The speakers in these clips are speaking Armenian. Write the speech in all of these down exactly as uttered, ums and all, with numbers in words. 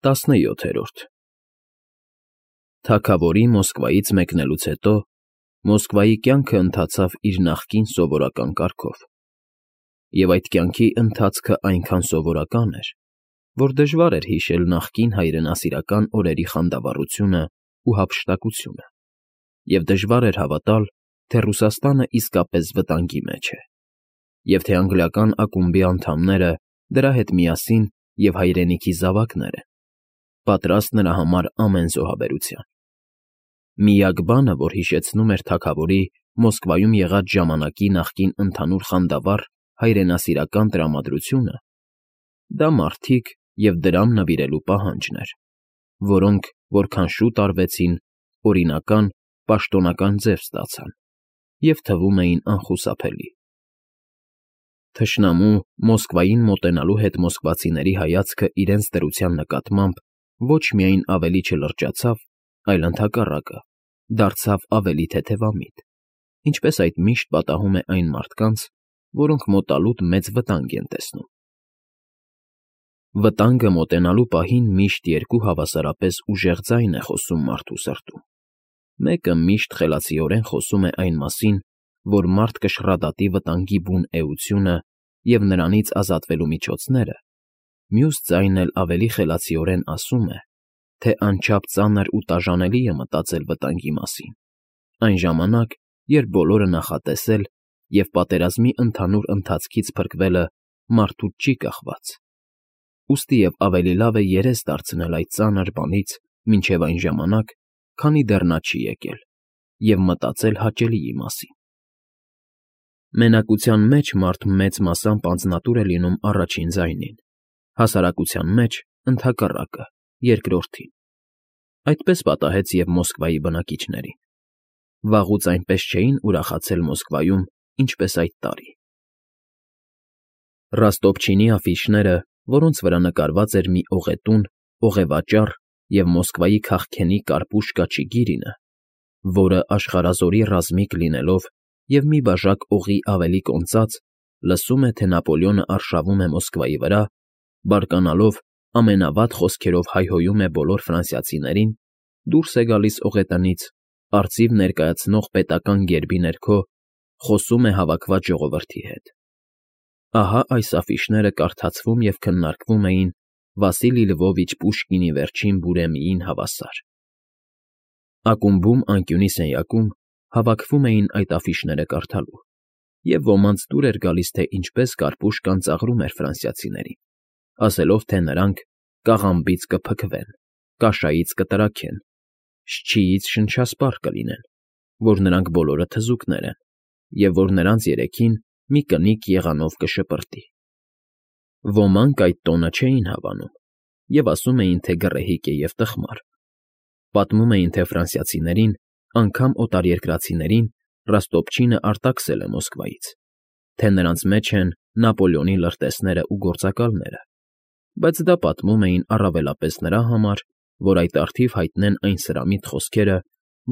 Տասնյոթերորդ Թագավորի Մոսկվայից մեկնելուց հետո Մոսկվայի կյանքը ընթացավ իր նախկին սովորական կարգով, և այդ կյանքի ընթացքը այնքան սովորական էր, որ դժվար էր հիշել նախկին հայրենասիրական օրերի խանդավառությունն ու հափշտակությունը, և դժվար էր հավատալ, թե Ռուսաստանը իսկապես վտանգի մեջ է, և թե անգլիական ակումբի անդամները դրա հետ միասին և հայրենիքի զավակներ են, պատրաստ նրա համար ամեն զոհաբերության։ Միակ բանը, որ հիշեցնում էր թագավորի Մոսկվայում եղած ժամանակի նախկին ընդհանուր խանդավառ հայրենասիրական տրամադրությունը, դա մարդիկ և դրամ նվիրելու պահանջն էր, որոնք, որքան շուտ արվեցին, օրինական, պաշտոնական ձև ստացան և թվում էին անխուսափելի։ Թշնամու Մոսկվային մոտենալու հետ մոսկվացիների հայացքը իրենց դրության նկատմամբ ոչ միայն ավելի չլրջացավ, այլ ընդհակառակը, դարձավ ավելի թեթևամիտ, ինչպես այդ միշտ պատահում է այն մարդկանց, որոնք մոտալուտ մեծ վտանգ են տեսնում։ Վտանգը մոտենալու պահին միշտ երկու հավասարապես ուժեղ ձայն է խոսում մարդու սրտում. մեկը միշտ խելացիորեն խոսում է այն մասին, որ մարդ կշռադատի վտանգի բուն էությունը և նրանից ազատվելու միջոցները, մյուս ձայնն էլ ավելի խելացիորեն ասում է, թե անչափ ծանր ու տաժանելի է մտածել վտանգի մասին, այն ժամանակ, երբ բոլորը նախատեսել և պատերազմի ընդհանուր ընթացքից փրկվելը մարդուց չի կախված, ուստի և ավելի լավ է երես դարձնել այդ ծանր բանից մինչև այն ժամանակ, քանի դեռ նա չի եկել, և մտածել հաճելիի մասին։ Մենակության մեջ մարդ մեծ մասամբ անձնատուր է լինում առաջին ձայնին, հասարակության մեջ՝ ընդհակառակը, երկրորդին։ Այդպես պատահեց և Մոսկվայի բնակիչներին. վաղուց այնպես չէին ուրախացել Մոսկվայում, ինչպես այդ տարի։ Ռոստոպչինի աֆիշները, որոնց վրա նկարված էր մի օղետուն, օղևաճառ և Մոսկվայի քաղքենի կարպուշ կաչի գիրինը, որը աշխարհազորի ռազմիկ լինելով և մի բաժակ օղի ավելի կոնծած, լսում է, թե Նապոլեոնը արշավում է Մոսկվայի վրա, բարկանալով ամենավատ խոսքերով հայհոյում է բոլոր ֆրանսիացիներին, դուրս է գալիս օղետնից, արծիվ ներկայացնող պետական գերբի ներքո, խոսում է հավաքված ժողովրդի հետ։ Ահա այս աֆիշները կարդացվում և քննարկվում էին Վասիլի Լվովիչ Պուշկինի Վերջին բուրեմիին հավասար։ Ակումբում անկյունի սենյակում հավաքվում էին այդ աֆիշները կարդալու, և ոմանց դուր էր գալիս, թե ինչպես Կարպուշկան ծաղրում էր ֆրանսիացիներին, ասելով, թե նրանք կաղամբից կփքվեն, կաշայից կտրաքեն, շչիից շնշասպառ կլինեն, որ նրանք բոլորը թզուկներ են, և որ նրանց երեքին մի կնիկ եղանով կշպրտի։ Ոմանք այդ տոնը չէին հավանում և ասում էին, թե գռեհիկ է և տխմար։ Պատմում էին, թե ֆրանսիացիներին, անգամ օտարերկրացիներին Ռոստոպչինը արտաքսել է Մոսկվայից, թե նրանց մեջ են Նապոլեոնի լրտեսներն ու գործակալները, բայց դա պատմում էին առավելապես նրա համար, որ այդ առթիվ հայտնեն այն սրամիտ խոսքերը,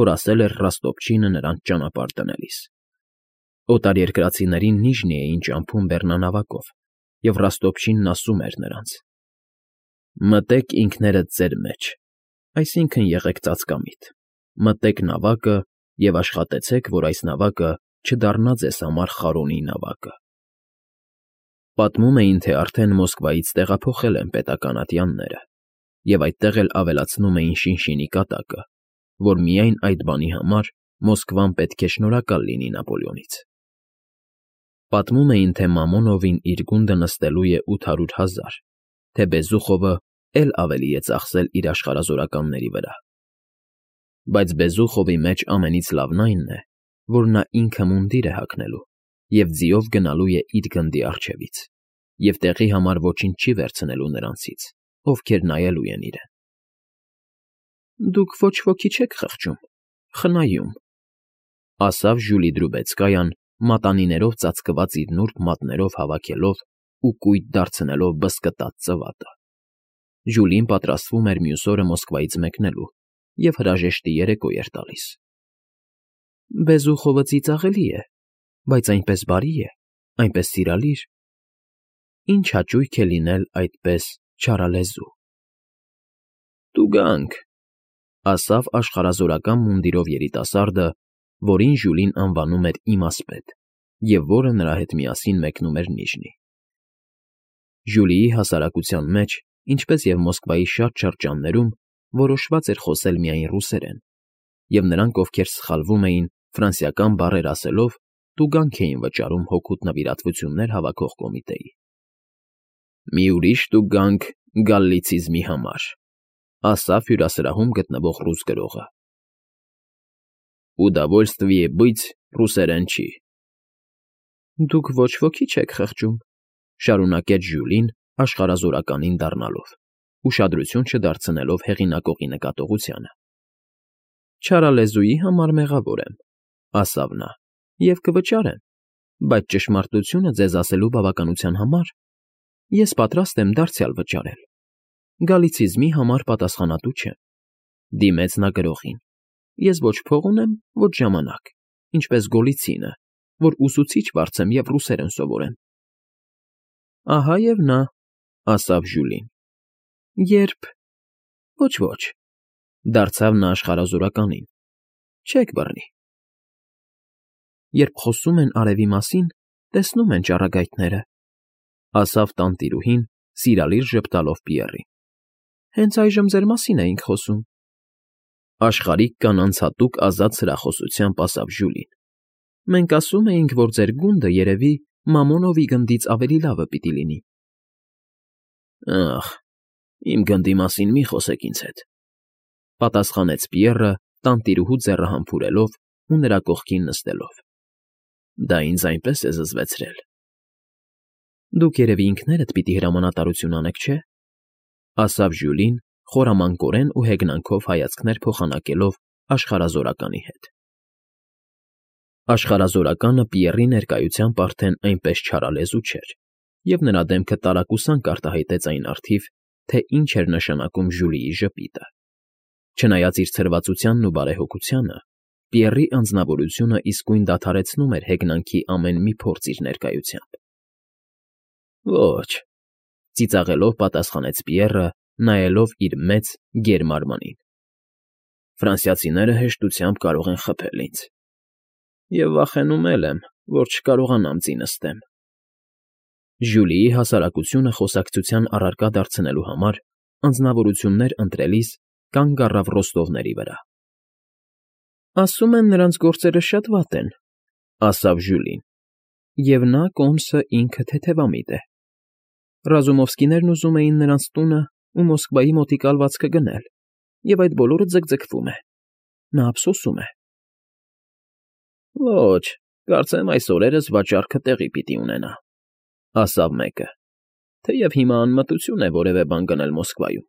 որ ասել էր Ռոստոպչինը նրանց ճանապարհ դնելիս։ Օտարերկրացիներին Նիժնի էին ճամփում բեռնանավակով, և Ռոստոպչինն ասում էր նրանց. «Մտեք ինքներդ ձեր մեջ, այսինքն՝ եղեք ծածկամիտ, մտեք նավակը և աշխատեցեք, որ այս նավակը չդառնա ձեզ համար Խարոնի նավակը»։ Պատմում էին, թե արդեն Մոսկվայից տեղափոխել են պետական ատյանները, և այդտեղ էլ ավելացնում էին շինշինի կատակը, որ միայն այդ բանի համար Մոսկվան պետք է շնորհակալ լինի Նապոլեոնից։ Պատմում էին, թե Մամոնովին իր գունդը նստելու է ութ հարյուր հազար, թե Բեզուխովը էլ ավելի է ծախսել իր աշխարհազորականների վրա։ Բայց Բեզուխովի մեջ ամենից լավն այն է, որ նա ինքը մունդիր է հագնելու և ձիով գնալու է իր գնդի առջևից, և տեղի համար ոչինչ չի վերցնելու նրանցից, ովքեր նայելու են իրեն։ «Դուք ոչ ոքի չեք խղճում, խնայում», ֊ ասավ Ժյուլի Դրուբեցկայան, մատանիներով ծածկված իր նուրբ մատներով հավաքելով ու կույտ դարձնելով բզկտած ծվատը։ Ժյուլին պատրաստվում էր մյուս օրը Մոսկվայից մեկնելու և հրաժեշտի երեկո էր տալիս։ «Բեզուխովը ծիծաղելի է, բայց այնպես բարի է, այնպես սիրալիր։ Ինչ հաճույք է լինել այդպես չարալեզու»։ Տուգանք,֊ ասավ աշխարհազորական մունդիրով երիտասարդը, որին Ժյուլին անվանում էր Իմասպետ և որը նրա հետ միասին մեկնում էր Նիժնի։ Ժյուլիի հասարակության մեջ, ինչպես և Մոսկվայի շատ շրջաններում, որոշված էր խոսել միայն ռուսերեն, և նրանք, ովքեր սխալվում էին, ֆրանսիական բառեր ասելով, տուգանք էին վճարում հօգուտ նվիրատվություններ հավաքող կոմիտեի։ «Մի ուրիշ տուգանք գալլիցիզմի համար,֊ ասավ հյուրասրահում գտնվող ռուս գրողը։ Ուդավոլստվիե բыть ռուսերեն չի։ Դուք ոչ ոքի չեք խղճում,֊ շարունակեց Ժյուլին աշխարհազորականին դառնալով, ուշադրություն չդարձնելով հեղինակողի նկատողությանը։ Չարալեզուի համար մեղավոր եմ,֊ ասավ նա,֊ և կվճարեմ, բայց ճշմարտությունը ձեզ ասելու բավականության համար ես պատրաստ եմ դարձյալ վճարել։ Գալիցիզմի համար պատասխանատու չեմ,֊ դիմեց նա գրողին,֊ ես ոչ փող ունեմ, ոչ ժամանակ, ինչպես Գոլիցինը, որ ուսուցիչ վարձեմ և ռուսերեն սովորեմ։ Ահա և նա,֊ ասավ Ժյուլին,֊ երբ… Ոչ, ոչ,֊ դարձավ նա աշխարհազորականին,֊ չեք բռնի։ Երբ խոսում են արևի մասին, տեսնում են ճառագայթները,֊ ասավ տանտիրուհին, սիրալիր ժպտալով Պիեռին։ Հենց այժմ ձեր մասին էինք խոսում։ Աշխարհիկ կանանց հատուկ ազատ սրախոսությամբ ասավ Ժյուլին. Մենք ասում էինք, որ ձեր գունդը, երևի, Մամոնովի գնդից ավելի լավը պիտի լինի։ Ախ, իմ գնդի մասին մի խոսեք ինձ հետ,֊ պատասխանեց Պիեռը, տանտիրուհու ձեռը համբուրելով ու նրա կողքին նստելով։ Դա ինձ այնպես է զզվեցրել։ Դուք երևի ինքներդ պիտի հրամանատարություն անեք, չէ՞, ասավ Ժյուլին, խորամանկորեն ու հեգնանքով հայացքներ փոխանակելով աշխարհազորականի հետ։ Աշխարհազորականը Պիեռի ներկայությամբ արդեն այնպես չարալեզու չէր, և նրա դեմքը տարակուսանք արտահայտեց այն առթիվ, թե ինչ էր նշանակում Ժյուլիի ժպիտը։ Չնայած իր ցրվածությանն ու բարեհոգությանը, Պիեռի անձնավորությունը իսկույն դադարեցնում էր հեգնանքի ամեն մի փորձ իր ներկայությամբ։ Ոչ,֊ ծիծաղելով պատասխանեց Պիեռը, նայելով իր մեծ, գեր մարմնին։ Ֆրանսիացիները հեշտությամբ կարող են խփել ինձ։ Եվ վախենում էլ եմ, որ չկարողանամ ձի նստեմ։ Ժյուլիի հասարակությունը խոսակցության առարկա դարձնելու համար անձնավորություններ ընտրելիս կանգ առավ ռոստովների վրա։ Ասում են, նրանց գործերը շատ վատ են,֊ ասավ Ժյուլին,֊ և նա կոմսը ինքը թեթևամիտ է։ Ռազումովսկիներն ուզում էին նրանց տունը ու Մոսկվայի մոտիկ ալվածքը գնել, և այդ բոլորը ձգձգվում է։ Նա ափսոսում է։ Ոչ, կարծեմ այս օրերս վաճառքը տեղի պիտի ունենա,֊ ասավ մեկը, թեև հիմա անմտություն է որևէ բան գնել Մոսկվայում։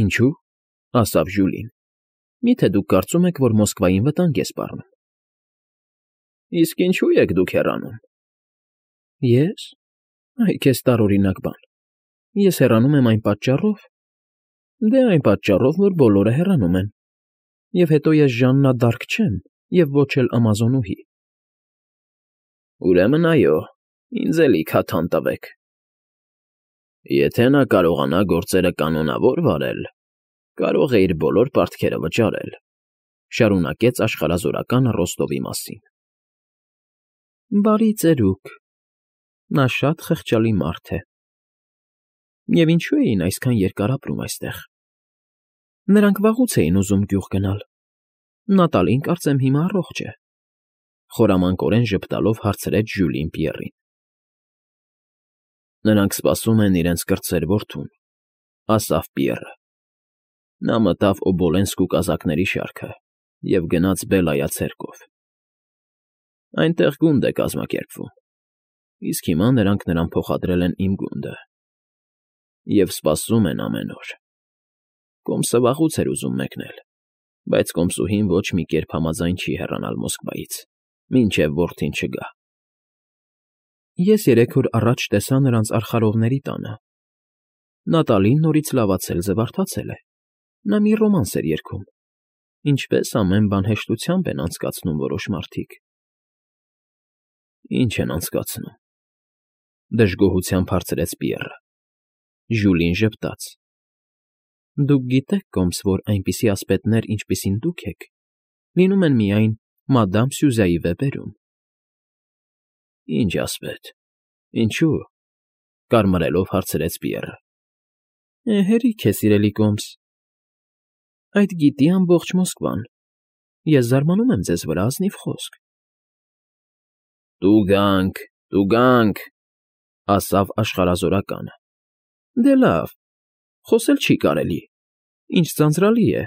Ինչո՞ւ,֊ ասավ Ժյուլին,֊ մի՞թե դուք կարծում եք, որ Մոսկվային վտանգ է սպառնում։ Իսկ ինչո՞ւ եք դուք հեռանում։ Ես… Այ քեզ տարօրինակ բան։ Ես հեռանում եմ այն պատճառով… Դե այն պատճառով, որ բոլորը հեռանում են, և հետո ես Ժաննա դ'Արկ չեմ և ոչ էլ ամազոնուհի։ Ուրեմն, այո, ինձ էլի քաթան տվեք։ Եթե նա կարողանա գործերը կանոնավոր վարել, կարող է իր բոլոր պարտքերը վճարել,֊ շարունակեց աշխարհազորականը Ռոստովի մասին։ Բարի ծերուկ… Նա շատ խղճալի մարդ է։ Եվ ինչո՞ւ էին այսքան երկար ապրում այստեղ։ Նրանք վաղուց էին ուզում գյուղ գնալ։ Նատալին, կարծեմ, հիմա առողջ է,֊ խորամանկորեն ժպտալով հարցրեց Ժյուլին Պիեռին։ Նրանք սպասում են իրենց կրտսեր որդուն,֊ ասավ Պիեռը։ Նա մտավ Օբոլենսկու կազակների շարքը և գնաց Բելայա ցերկով։ Այնտեղ գունդ է կազմակերպվում, իսկ հիմա նրանք նրան փոխադրել են իմ գունդը և սպասում են ամեն օր։ Կոմսը վաղուց էր ուզում մեկնել, բայց կոմսուհին ոչ մի կերպ համաձայն չի հեռանալ Մոսկվայից, մինչև որդին չգա։ Ես երեք օր առաջ տեսա նրանց արխարովների տանը։ Նատալին նորից լավացել, զվարթացել է։ Նա մի ռոմանս էր երգում։ Ինչպես ամեն բան հեշտությամբ են անցկացնում որոշ մարդիկ։ Ինչ են անցկացնում,֊ դժգոհությամբ հարցրեց Պիեռը։ Ժյուլին ժպտաց։ Դուք գիտեք, Կոմս, որ այնպիսի ասպետներ, ինչպիսին դուք եք, լինում են միայն մադամ Սյուզայի վեպերում։ ֊ Ի՞նչ ասպետ, ինչո՞ւ,֊ կարմրելով հարցրեց Պիեռը։ ֊ Հերիք է, սիրելի Կոմս, այդ գիտի ամբողջ Մոսկվան, ես զարմանում եմ ձեզ վրա, ազնիվ խոսք։ ֊ Տուգանք, տուգանք,֊ ասավ աշխարհազորականը։ ֊ Դե լավ, խոսել չի կարելի, ինչ ձանձրալի է։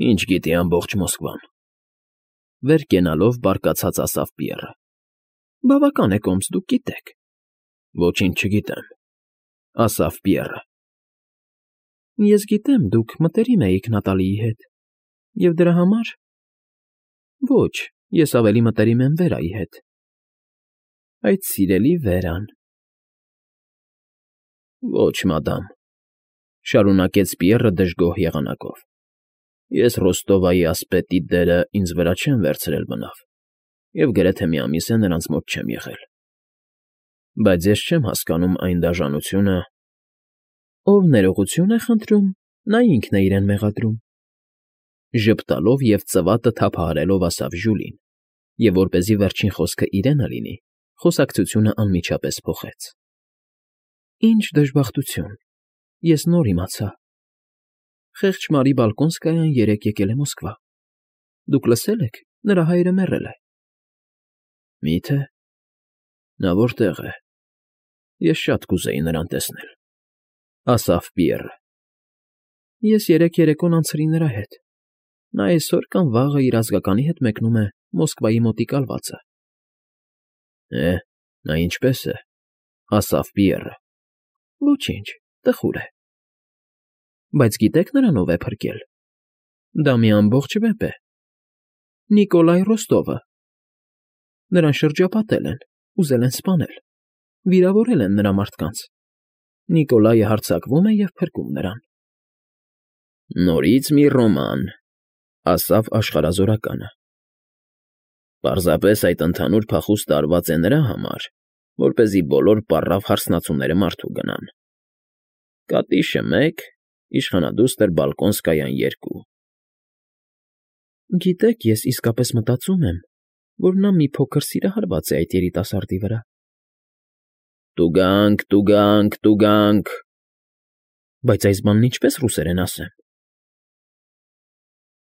֊ Ինչ գիտի ամբողջ Մոսկվան,֊ վեր կենալով բարկացած ասավ Պիեռը։ ֊ Բավական է, Կոմս, դուք գիտեք։ ֊ Ոչինչ չգիտեմ,֊ ասավ Պիեռը։ ֊ Ես գիտեմ, դուք մտերիմ էիք Նատալիի հետ, և դրա համար… Ոչ, ես ավելի մտերիմ եմ Վերայի հետ, այդ սիրելի Վերան… ֊ Ոչ, մադամ,֊ շարունակեց Պիեռը դժգոհ եղանակով,֊ ես Ռոստովայի ասպետի դերը ինձ վրա չեմ վերցրել բնավ և գրեթե մի ամիս է նրանց մոտ չեմ եղել, բայց ես չեմ հասկանում այն դաժանությունը… ֊ Ով ներողություն է խնդրում, նա ինքն է իրեն մեղադրում,֊ ժպտալով և ծվատը թափահարելով ասավ Ժյուլին և, որպեսզի վերջին խոսքը իրենը լինի, խոսակցությունը անմիջապես փոխեց։ ֊ Ինչ դժբախտություն, ես նոր իմացա… Խեղճ Մարի Բալկոնսկայան երեկ եկել է Մոսկվա, դուք լսե՞լ եք, նրա հայրը մեռել է։ ֊ Մի՞թե… Նա որտե՞ղ է… Ես շատ կուզեի նրան տեսնել,֊ ասավ Պիեռը։ ֊ Ես երեկ երեկոն անցրի նրա հետ, նա այսօր կամ վաղը իր ազգականի հետ մեկնում է Մոսկվայի մոտիկ ալվացը։ ֊ Է, նա ինչպե՞ս է,֊ ասավ Պիեռը։ ֊ Ոչինչ, տխուր է։ ֊ Բայց գիտեք նրան ով է փրկել։ Դա մի ամբողջ վեպ է… Նիկոլայ Ռոստովը… Նրան շրջապատել են, ուզել են սպանել, վիրավորել են նրա մարդկանց, Նիկոլայը հարձակվում է և փրկում նրան։ ֊ Նորից մի ռոման,֊ ասավ աշխարհազորականը։ ֊ Պարզապես այդ ընդհանուր փախուստը արված է նրա համար, որպեսզի բոլոր պառավ հարսնացուները մարդու գնան. Կատիշը՝ մեկ, իշխանադուստր Բալկոնսկայան՝ երկու… ֊ Գիտեք, ես իսկապես մտածում եմ, որ նա մի փոքր սիրահարված է այդ երիտասարդի վրա։ ֊ Տուգանք, տուգանք, տուգանք… Բայց այս բանն ինչպե՞ս ռուսերեն ասեմ։